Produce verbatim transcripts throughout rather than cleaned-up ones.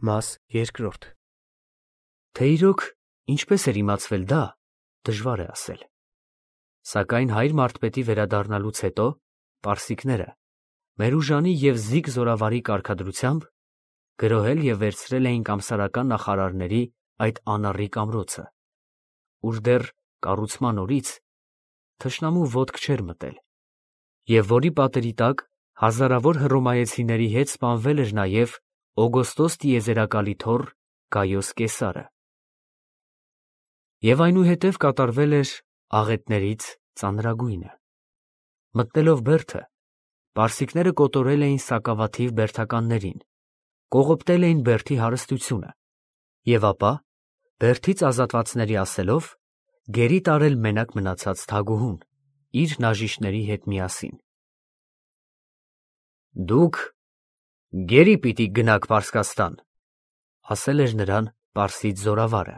Մաս երկրորդ Թե իրոք ինչպես էր իմացվել դա, դժվար է ասել, սակայն հայր Մարդպետի վերադառնալուց հետո պարսիկները Մերուժանի և Զիգ զորավարի կարգադրությամբ գրոհել և վերցրել էին կամսարական նախարարների այդ անառիկ ամրոցը, ուր դեռ կառուցման օրից թշնամու ոտք չէր մտել, և որի պատերի տակ հազարավոր հռոմեացիների հետ սպանվել էր նաև Օգոստոս տիեզերակալի թոռ Գայոս Կեսարը, և այնուհետև կատարվել էր աղետներից ծանրագույնը. մտնելով բերդը, պարսիկները կոտորել էին սակավաթիվ բերդականներին, կողոպտել էին բերդի հարստությունը և ապա, բերդից ազատվածների ասելով, գերի տարել մենակ մնացած թագուհուն, իր նաժիշտների հետ միասին։ Դուք գերի պիտի գնաք Պարսկաստան, ասել էր նրան պարսից զորավարը,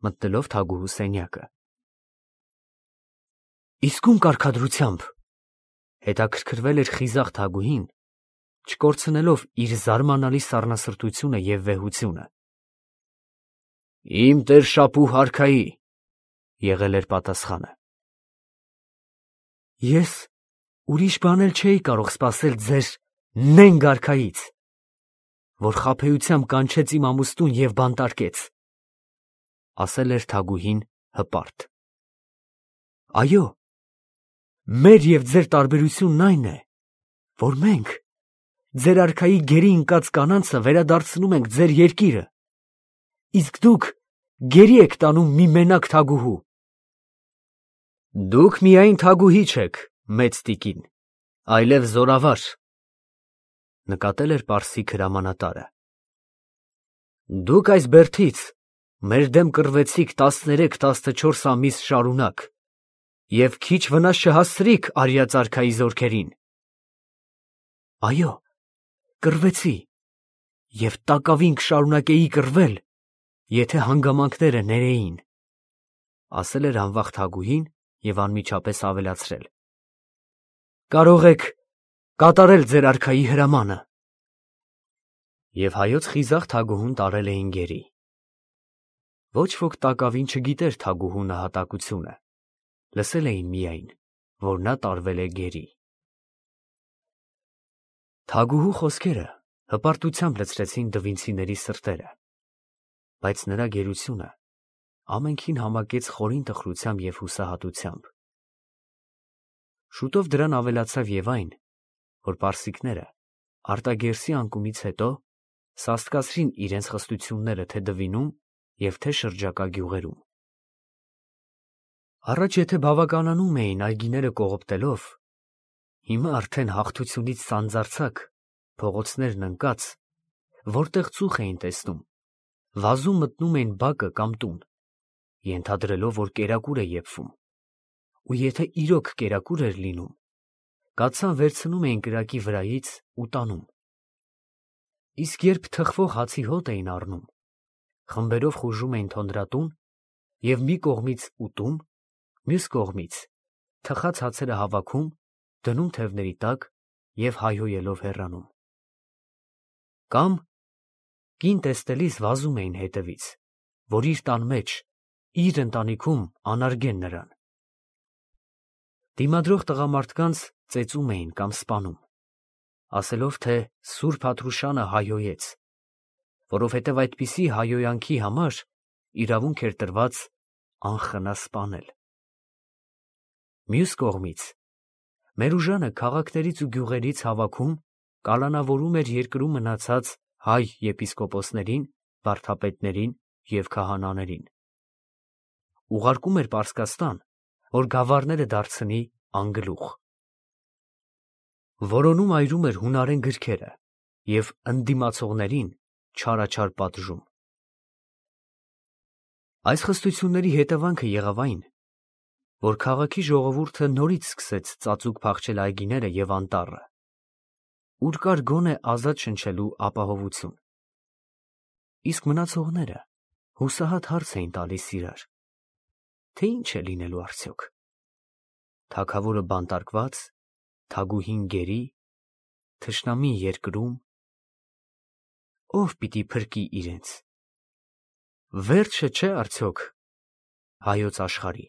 մտնելով թագուհու սենյակը։ Իսկ ում կարգադրությամբ, հետաքրքրվել էր խիզախ թագուհին, չկորցնելով իր զարմանալի սառնասրտությունը և վեհությունը։ Իմ տեր-շապու հարքայի, եղել էր պատասխանը։ Ես ուրիշ բան էլ չէի կարող սպասել ձեր նենգ արքայից, որ խաբեությամբ կանչեց իմ ամուսնուն և բանտարկեց, ասել էր թագուհին հպարտ։ Այո, մեր և ձեր տարբերությունն այն է, որ մենք ձեր արքայի գերի ընկած կանանցը վերադարձնում ենք ձեր երկիրը, իսկ դուք գերի եք տանում մի մենակ թագուհու։ Դուք միայն թագուհի չեք, մեծ տիկին, այլև զորավար, նկատել էր պարսիկ հրամանատարը։ Դուք այս բերդից մեր դեմ կռվեցիք տասներեք-տասնչորս ամիս շարունակ և քիչ վնաս չհասցրիք արյաց արքայի զորքերին։ Այո, կռվեցի և տակավին կշարունակեի կռվել, եթե հանգամանքները ներեին, ասել էր անվախ թագուհին և անմիջապես ավելացրել. Կարող եք կատարել ձեր արքայի հրամանը։ Եվ հայոց խիզախ թագուհուն տարել էին գերի։ Ոչ ոք տակավին չգիտեր թագուհու նահատակությունը, լսել էին միայն, որ նա տարվել է գերի։ Թագուհու խոսքերը հպարտությամբ լցրեցին դվինցիների սրտերը, բայց նրա գերությունը ամենքին համակեց խորին տխրությամբ և հուսահատությամբ։ Շուտով դրան ավելացավ և այն, որ պարսիկները Արտագերսի անկումից հետո սաստկացրին իրենց խստությունները թե Դվինում և թե շրջակա գյուղերում։ Առաջ եթե բավականանում էին այգիները կողոպտելով, հիմա արդեն հաղթությունից սանձարձակ, փողոցներն ընկած, որտեղ ծուխ էին տեսնում, վազում մտնում էին բակը կամ տուն, ենթադրելով, որ կերակուր է եփվում, ու եթե իրոք կերակուր էր լինում, կաթսան վերցնում էին կրակի վրայից ու տանում։ Իսկ երբ թխվող հացի հոտ էին առնում, խմբերով խուժում էին թոնրատուն և մի կողմից ուտում, մյուս կողմից թխած հացերը հավաքում, դնում թևերի տակ և հայհոյելով հեռանում։ Կամ կին տեսնելիս վազում էին հետևից, որ իր տան մեջ, իր ընտանիքում անարգեն նրան։ Դիմադրող տղամարդկանց ծեծում էին կամ սպանում, ասելով, թե սուրբ Հատռուշանը հայհոյեց, որովհետև այդպիսի հայհոյանքի համար իրավունք էր տրված անխնա սպանել։ Մյուս կողմից Մերուժանը քաղաքներից ու գյուղերից հավաքում, կալանավորում էր երկրում մնացած հայ եպիսկոպոսներին, վարդապետներին և քահանաներին։ Ուղարկում էր Պարսկաստան, որ գավառները դարձնի անգլուխ։ Որոնում այրում էր հունարեն գրքերը և ընդդիմացողներին չարաչար պատժում։ Այս խստությունների հետևանքը եղավ այն, որ քաղաքի ժողովուրդը նորից սկսեց ծածուկ փախչել այգիները և անտառը, ուր կար գոնե ազատ շնչելու ապահովություն։ Իսկ մնացողները հուսահատ հարց էին տալիս իրար, թե ինչ է լինելու արդյոք. թագավորը բանտարկվա՞ծ, թագուհին գերի՞, թշնամին երկրում։ ով պիտի փրկի իրենց։ Վերջը չէ արդյոք հայոց աշխարհի։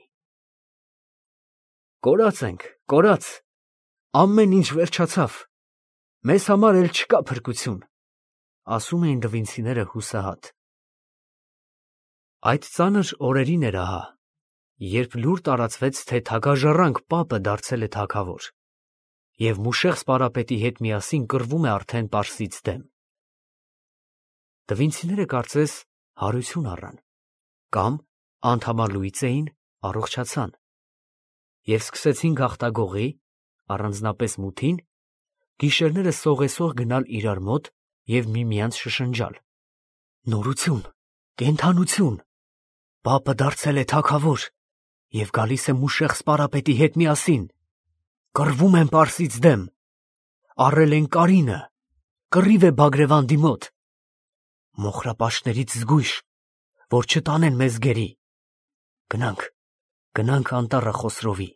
Կորած ենք, կորած, ամեն ինչ վերջացավ, մեզ համար էլ չկա փրկություն, ասում էին դվինցիները հուսահատ։ Այդ ծանր օրերին էր ահա, երբ լուր տարածվեց, թե թագաժառանգ պապը դարձել է թագավոր, և Մուշեղ սպարապետի հետ միասին կռվում է արդեն Պարսից դեմ։ Դվինցիները կարծես հարություն առան, կամ անդամալուից էին, առողջացան, և սկսեցին գաղտագողի, առանձնապես մութին, գիշերները սողեսող գնալ իրար մոտ և միմյանց շշնջալ. նորություն, կենդանություն, պապը դարձել է թագավոր և գալիս է Մուշեղ սպարապետի հետ միասին, կռվում են Պարսից դեմ, առել են Կարինը, կռիվ է Բագրևանդի մոտ, մոխրապաշտներից զգույշ, որ չտանեն մեզ գերի, գնանք, գնանք անտառը Խոսրովի։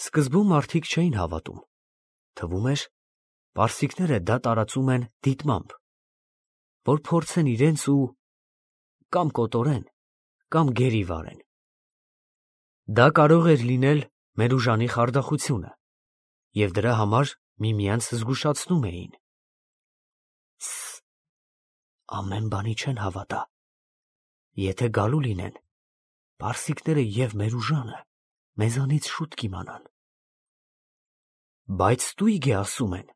Սկզբում մարդիկ չէին հավատում, թվում էր, պարսիկները դա տարածում են դիտմամբ, որ փորձեն իրենց ու կամ կոտորեն, կամ գերի վարեն։ Դա կարող էր լինել մեր ուժանի խարդախությունը, և դրա համար միմյանց զգուշացնում էին. Ս, ամեն բանի չեն հավատա, եթե գալու լինեն, պարսիկները և մեր ուժանը մեզանից շուտ կիմանան։ Բայց ստույգ է ասում են։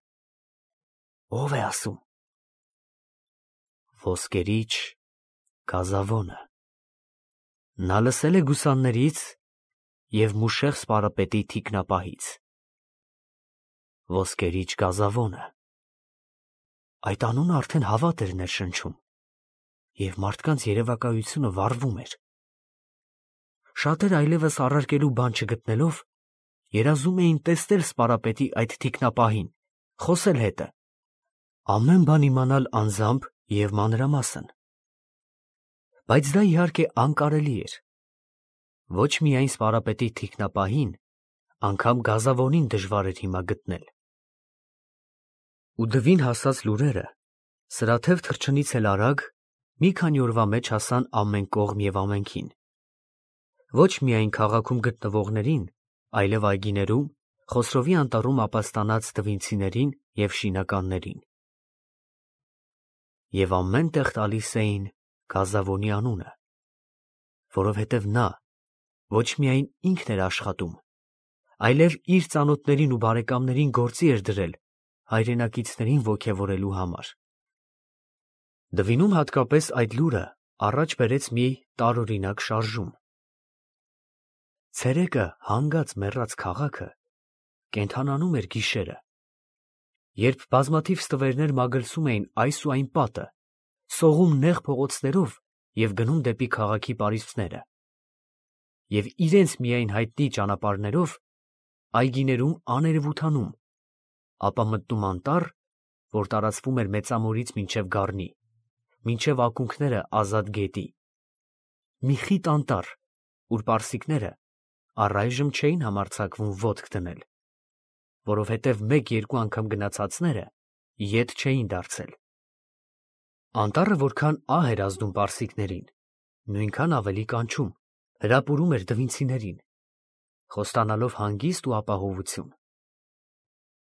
Ո՞վ է ասում։ Ոսկերիչ Գազավոնը։ Նա լսել է գուսաններից և Մուշեղ սպարապետի թիկնապահից։ Ոսկերիչ Գազավոնը։ Այդ անունը արդեն հավատ էր ներշնչում, և մարդկանց երևակայությունը վառվում էր։ Շատեր այլևս առարկելու բան չգտնելով, երազում էին տեսնել սպարապետի այդ թիկնապահին, խոսել հետը, ամեն բան իմանալ անձամբ և մանրամասն։ Բայց դա իհարկե անկարելի էր։ Ոչ միայն սպարապետի թիկնապահին, անգամ Գազավոնին դժվար էր հիմա գտնել։ Ու դվին հասած լուրերը սրաթև թռչնից էլ արագ մի քանի օրվա մեջ հասան ամեն կողմ և ամենքին։ Ոչ միայն քաղաքում գտնվողներին, այլև այգիներում, Խոսրովի անտառում ապաստանած դվինցիներին և շինականներին։ Եվ ամեն տեղ տալիս էին Գազավոնի անունը, որովհետև նա ոչ միայն ինքն էր աշխատում, այլև իր ծանոթներին ու բարեկամներին գործի էր դրել հայրենակիցներին ոգևորելու համար։ Դվինում հատկապես այդ լուրը առաջ բերեց մի տարօրինակ շարժում։ Ցերեկը հանգած մեռած քաղաքը կենդանանում էր գիշերը, երբ բազմաթիվ ստվերներ մագլցում էին այս ու այն պատը, սողում նեղ փողոցներով և գնում դեպի քաղաքի պարիսպները, և իրենց միայն հայտնի ճանապարհներով այգիներում աներևութանում, ապա մտնում անտառ, որ տարածվում էր Մեծամորից մինչև Գառնի, մինչև ակունքները Ազատ գետի, մի խիտ անտառ, ուր պարսիկները առայժմ չէին համարձակվում ոտք դնել, որովհետև մեկ-երկու անգամ գնացածները ետ չէին դարձել։ Անտառը որքան ահ էր ազդում պարսիկներին, նույնքան ավելի կանչում, հրապուրում էր դվինցիներին, խոստանալով հանգիստ ու ապահովություն։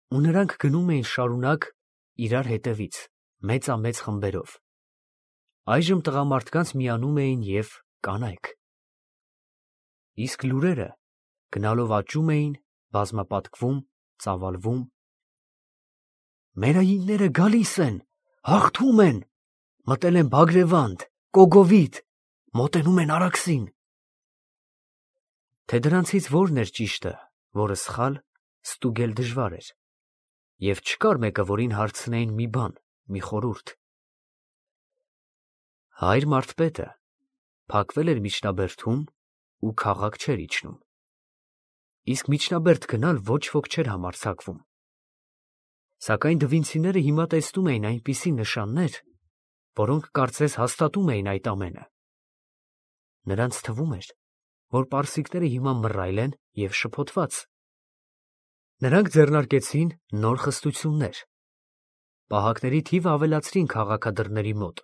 Ու նրանք գնում էին շարունակ իրար հետևից, մեծամեծ խմբերով։ Այժմ տղամարդկանց միանում էին և կանայք։ Իսկ լուրերը գնալով աճում էին, բազմապատկվում, ծավալվում։ Մեր այինները գալիս են, հաղթում են, մտել են Բագրևանդ, Կոգովիդ, մոտենում են Արաքսին։ Թե դրանցից որն էր ճիշտը, որը սխալ, ստուգել դժվար էր, և չկար մեկը, որին հարցնեին մի բան, մի խորհուրդ։ Հայր մարդպետը փակվել էր միջնաբերդում ու քաղաք չէր իջնում, իսկ միջնաբերդ գնալ ոչ ոք չէր համարձակվում։ Սակայն դվինցիները հիմա տեսնում էին այնպիսի նշաններ, որոնք կարծես հաստատում էին այդ ամենը։ Նրանց թվում էր, որ պարսիկները հիմա մռայլ են և շփոթված։ Նրանք ձեռնարկեցին նոր խստություններ։ Պահակների թիվը ավելացրին քաղաքադրների մոտ,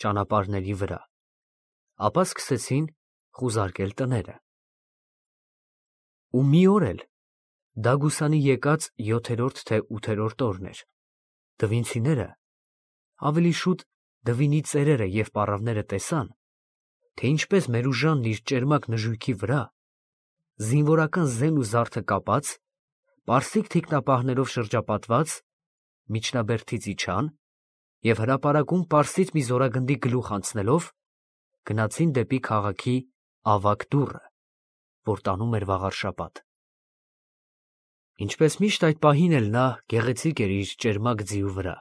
ճանապարհների վրա, ապա սկսեցին խուզարկել տները։ Ու մի օր էլ, դա գուսանի եկած յոթերորդ թե ութերորդ օրն էր, դվինցիները, ավելի շուտ դվինի ծերերը և պառավները տեսան, թե ինչպես Մերուժանն իր ճերմակ նժույգի վրա, զինվորական զեն ու զարդը կապած, պարսիկ թիկնապահներով շրջապատված, միջնաբերդից իջան և հրապարակում պարսից մի զորագնդի գլուխ անցնելով, գնացին դեպի քաղաքի ավագ դուռը, որ տանում էր վաղարշապատ։ Ինչպես միշտ այդ պահին էլ նա գեղեցիկ էր իր ճերմակ ձիու վրա,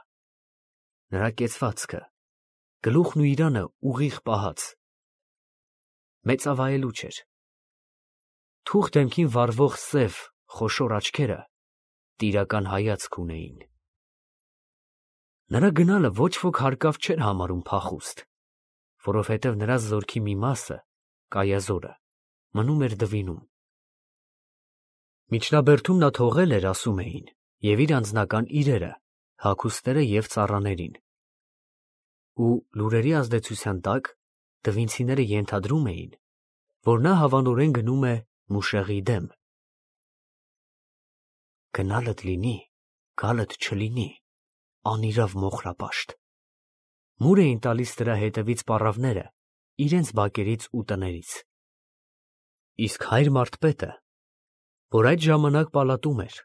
նրա կեցվածքը, գլուխն ու իրանը ուղիղ պահած, մեծավայելուչ էր, թուխ դեմքին վառվող սև, խոշոր աչքերը տիրական հայացք ունեին։ Նրա գնալը ոչ ոք հարկավ չէր համարում փախուստ, որովհետև նրա զորքի մի մասը, կայազորը, մնում էր դվինում։ Միջնաբերդում նա թողել էր, ասում էին, և իր անձնական իրերը, հագուստները և ծառաներին։ Ու լուրերի ազդեցության տակ դվինցիները ենթադրում էին, որ նա հավանորեն գնում է Մուշեղի դեմ։ Գնալդ լինի, գալդ չլինի, անիրավ մոխրապաշտ, մուր էին տալիս դրա հետևից պառավները իրենց բակերից ու տներից։ Իսկ հայր մարդպետը, որ այդ ժամանակ պալատում էր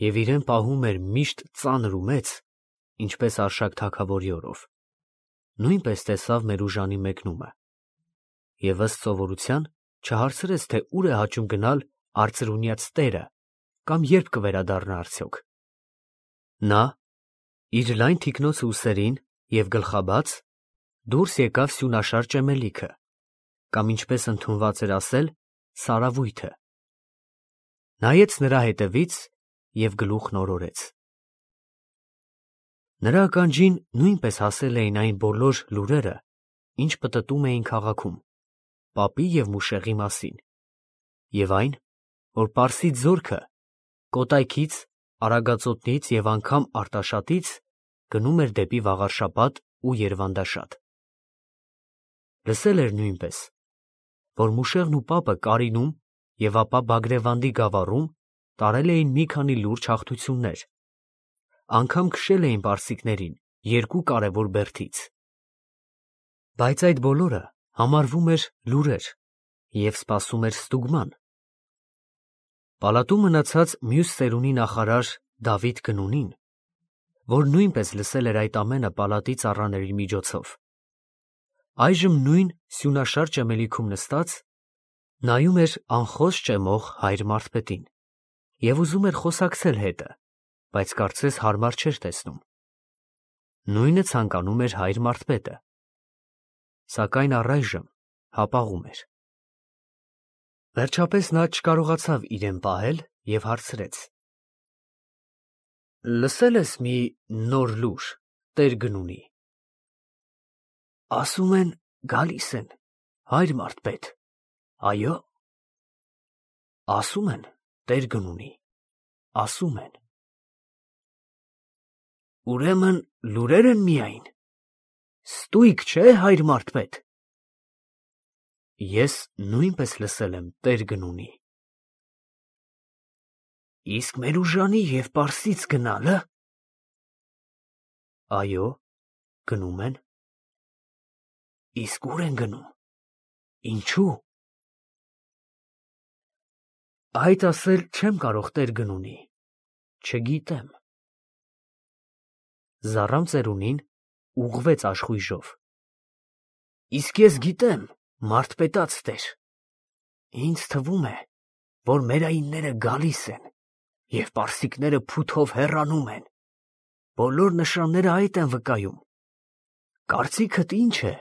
և իրեն պահում էր միշտ ծանր ու մեծ, ինչպես Արշակ թագավորի օրով, նույնպես տեսավ Մերուժանի մեկնումը և ըստ սովորության չհարցրեց, թե ուր է հաճում գնալ արծրունյաց տերը կամ երբ կվերադառնա արդյոք։ Նա, իր լայն թիկնոցը ուսերին և գլխաբաց, դուրս եկավ սյունաշար ճեմելիքը, կամ ինչպես ընդունված էր ասել, սարավույթը, նայեց նրա հետևից և գլուխն օրորեց։ Նրա ականջին նույնպես հասել էին այն բոլոր լուրերը, ինչ պտտում էին քաղաքում, պապի և Մուշեղի մասին, և այն, որ Պարսից զորքը Կոտայքից, Արագածոտնից և անգամ Արտաշատից գնում էր դեպի Վաղարշապատ ու Երվանդաշատ։ Լսել էր նույնպես, որ Մուշեղն ու պապը Կարինում և ապա Բագրևանդի գավառում տարել էին մի քանի լուրջ հաղթություններ, անգամ քշել էին պարսիկներին երկու կարևոր բերդից։ Բայց այդ բոլորը համարվում էր լուրեր և սպասում էր ստուգման։ Պալատում մնացած մյուս ծերունի նախարար Դավիթ Գնունին, որ նույնպես լսել էր այդ ամենը պալատի ծառաների միջոցով, այժմ նույն սյունաշար ճեմելիքում նստած, նայում էր անխոս ճեմող հայր մարդպետին և ուզում էր խոսակցել հետը, բայց կարծես հարմար չէր տեսնում։ Նույնը ցանկանում էր հայր մարդպետը, սակայն առայժմ հապաղում էր։ Վերջապես նա չկարողացավ իրեն պահել և հարցրեց. Լսել ես մի նոր լուր տեր Գնունի։ Ասում են գալիս են, հայր մարդպետ, այո։ Ասում են տեր Գնունի, ասում են։ Ուրեմն լուրեր են միայն, ստույգ չէ, հայր մարդպետ։ Ես նույնպես լսել եմ տեր Գնունի։ Իսկ Մերուժանի և Պարսից գնալը։ Այո, գնում են։ Իսկ ուր են գնում, ինչու։ Այդ ասել չեմ կարող տեր Գնունի, չգիտեմ։ Զառամ ծերունին ուղղվեց աշխույժով։ Իսկ ես գիտեմ, մարդպետաց տեր, ինձ թվում է, որ մերայինները գալիս են և պարսիկները փութով հեռանում են, բոլոր նշանները այդ են վկայում, կարծիքդ ի՞նչ է։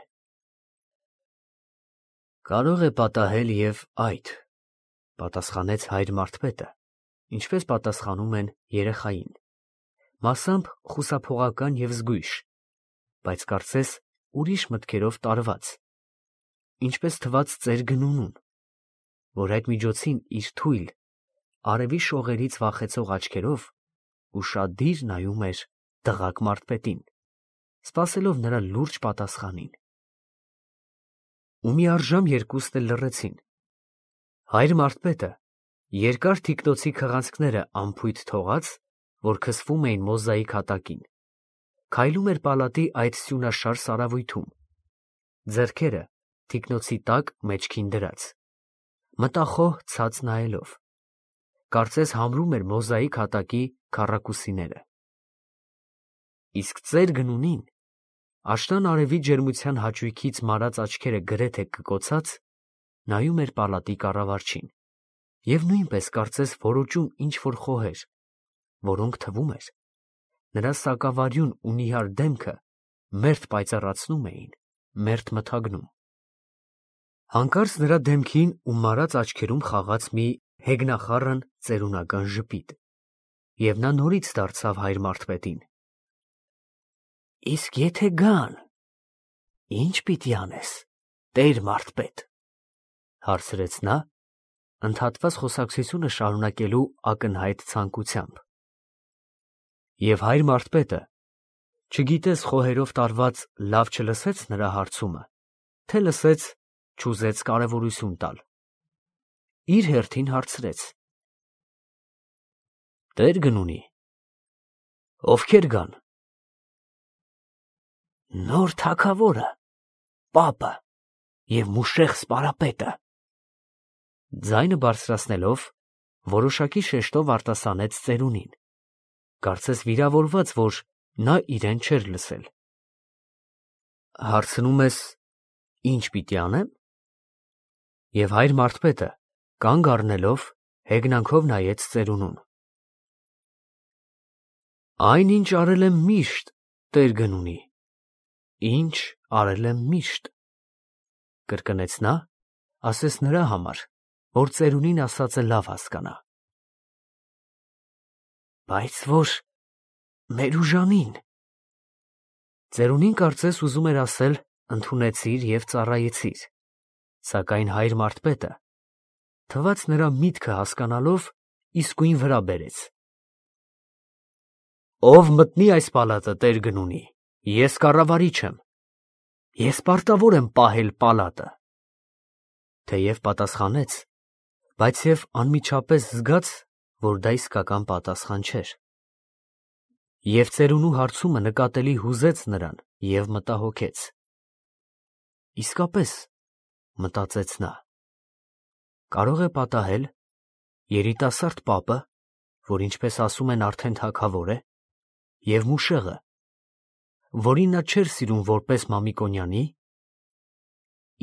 Կարող է պատահել և այդ, պատասխանեց հայր մարդպետը, ինչպես պատասխանում են երեխային, մասամբ խուսափողական և զգույշ, բայց կարծես ուրիշ մտքերով տարված, ինչպես թվաց ծեր Գնունուն, որ այդ միջոցին իր թույլ, արևի շողերից վախեցող աչքերով ուշադիր նայում էր տղաք մարդպետին, սպասելով նրա լուրջ պատասխանին։ Ու մի առժամ երկուսն էլ լռեցին։ Հայր մարդպետը երկար թիկնոցի քղանցքները անփույթ թողած, որ քսվում էին մոզաիկ հատակին, քայլում էր պալատի այդ սյունաշար սարավույթում, ձեռքերը թիկնոցի տակ մեջքին դրած, մտախոհ ցած նայելով, կարծես համրում էր մոզաիկ հատակի քառակուսիները։ Իսկ ծեր գնունին, աշնան արևի ջերմության հաճույքից մարած աչքերը գրեթե կկոցած, նայում էր պալատի կառավարչին և նույնպես կարծես որոճում ինչ-որ խոհեր, որոնք թվում էր, նրա սակավարյուն ու նիհար դեմքը մերթ պայծառացնում էին, մերթ մթագնում։ Հանկարծ նրա դեմքին ու մարած աչքերում խաղաց մի հեգնախառն ծերունական ժպիտ, և նա նորից դարձավ հայր մարդպետին. Իսկ եթե գան, ի՞նչ պիտի անես, տեր մարդպետ, հարցրեց նա, ընդհատված խոսակցությունը շարունակելու ակնհայտ ցանկությամբ։ Եվ հայր մարդպետը, չգիտես խոհերով տարված լավ չլսեց նրա հարցումը, թե լսեց, չուզեց կարևորություն տալ, իր հերթին հարցրեց. Տեր գնունի, ովքեր գան։ Նոր թագավորը, պապը և Մուշեղ սպարապետը, ձայնը բարձրացնելով, որոշակի շեշտով արտասանեց ծերունին, կարծես վիրավորված, որ նա իրեն չէր լսել։ Հարցնում ես, ինչ պիտի անեմ։ Եվ հայր մարդպետը, կանգ առնելով, հեգնանքով նայեց ծերունուն։ Այն, ինչ արել եմ միշտ, տեր գնունի, ինչ արել եմ միշտ, կրկնեց նա, ասես նրա համար, որ ծերունին ասածը լավ հասկանա։ Բայց որ մեր ուժանին։ Ծերունին կարծես ուզում էր ասել ընդունեցիր և ծառայեցիր, սակայն հայր մարդպետը, թվաց նրա միտքը հասկանալով, իսկույն վրա բերեց. Ով մտնի այս պալատը, տեր գնունի, ես կառավարիչ եմ, ես պարտավոր եմ պահել պալատը։ Թեև պատասխանեց, բայց և անմիջապես զգաց, որ դա իսկական պատասխան չէր։ Եվ ծերունու հարցումը նկատելի հուզեց նրան և մտահոգեց։ Իսկապես, մտածեց նա, կարող է պատահել, երիտասարդ պապը, որ ինչպես ասում են արդեն թագավոր է, և Մուշեղը, որին նա չէր սիրում որպես Մամիկոնյանի,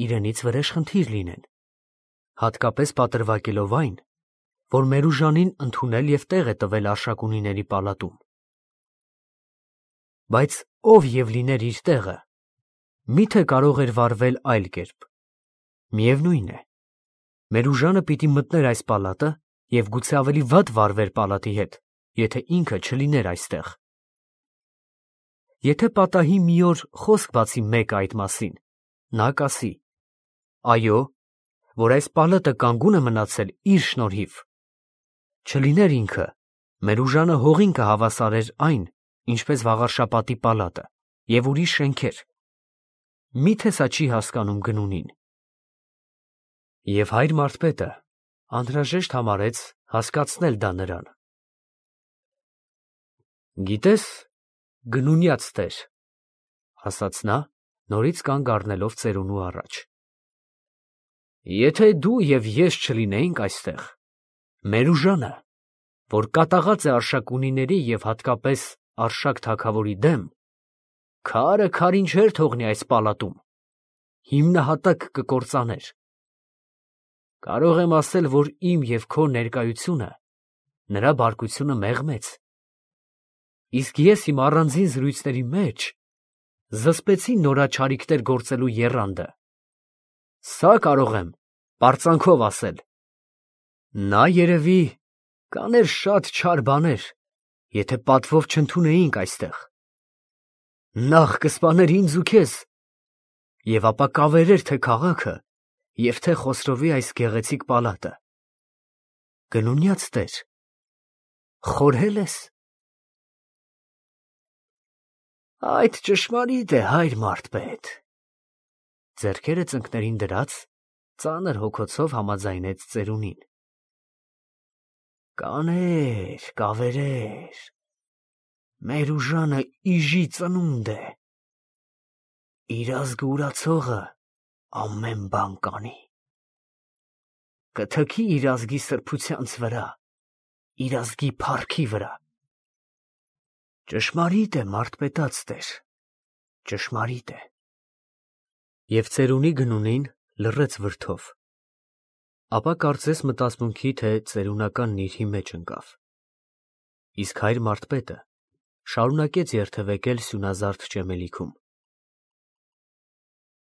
իրենից վրեժխնդիր լինեն, հատկապես պատրվակելով այն, որ Մերուժանին ընդունել և տեղ է տվել Արշակունիների պալատում։ Բայց ով և լիներ իր տեղը, միթե կարող էր վարվել այլ կերպ։ Միևնույն է, Մերուժանը պիտի մտներ այս պալատը և գուցե ավելի վատ վարվեր պալատի հետ, եթե ինքը չլիներ այստեղ։ Եթե պատահի մի օր խոսք բացի մեկը այդ մասին, նա կասի. այո, որ այս պալատը կանգուն է մնացել իր շնորհիվ, չլիներ ինքը, Մերուժանը հողին կհավասարեր այն, ինչպես Վաղարշապատի պալատը և ուրիշ շենքեր, միթե սա չի հասկանում գնունին։ Եվ հայր մարդպետը անհրաժեշտ համարեց հասկացնել դա նրան։ Գիտես, գնունյաց տեր, ասաց նա, նորից կանգ առնելով ծերունու առաջ, եթե դու և ես չլինեինք այստեղ, Մերուժանը, որ կատաղած է Արշակունիների և հատկապես Արշակ թագավորի դեմ, քարը քարին չէր թողնի այս պալատում, հիմնահատակ կկործաներ։ Կարող եմ ասել, որ իմ և քո ներկայությունը նրա բարկությունը մեղմեց, իսկ ես իմ առանձին զրույցների մեջ զսպեցի նորաչարիքներ գործելու եռանդը։ Սա կարող եմ պարծանքով ասել. նա երևի կաներ շատ չար բաներ, եթե պատվով չընդունեինք այստեղ. նախ կսպաներ ինձ ու քեզ, և ապա կավերեր թե քաղաքը և թե Խոսրովի այս գեղեցիկ պալատը։ Գնունյաց տեր, խորհե՞լ ես։ Այդ ճշմարիտ է, հայր մարդ-պետ։ Ձեռքերը ծնկներին դրած, ծանր հոգոցով համաձայնեց ծերունին։ Կաներ, կավերեր, մեր ուժանը իժի ծնունդ է, իր ազգը ուրացողը ամեն բան կանի, կթքի իր ազգի սրբությանց վրա, իր ազգի փառքի վրա։ Ճշմարիտ է, մարդ-պետած տեր, ճշմարիտ է։ Եվ ծերունի գնունին լռեց վրդով, ապա կարծես մտածմունքի, թե ծերունական նիրհի մեջ ընկավ։ Իսկ հայր մարդ-պետը շարունակեց երթևեկել սյունազարդ ճեմելիքում։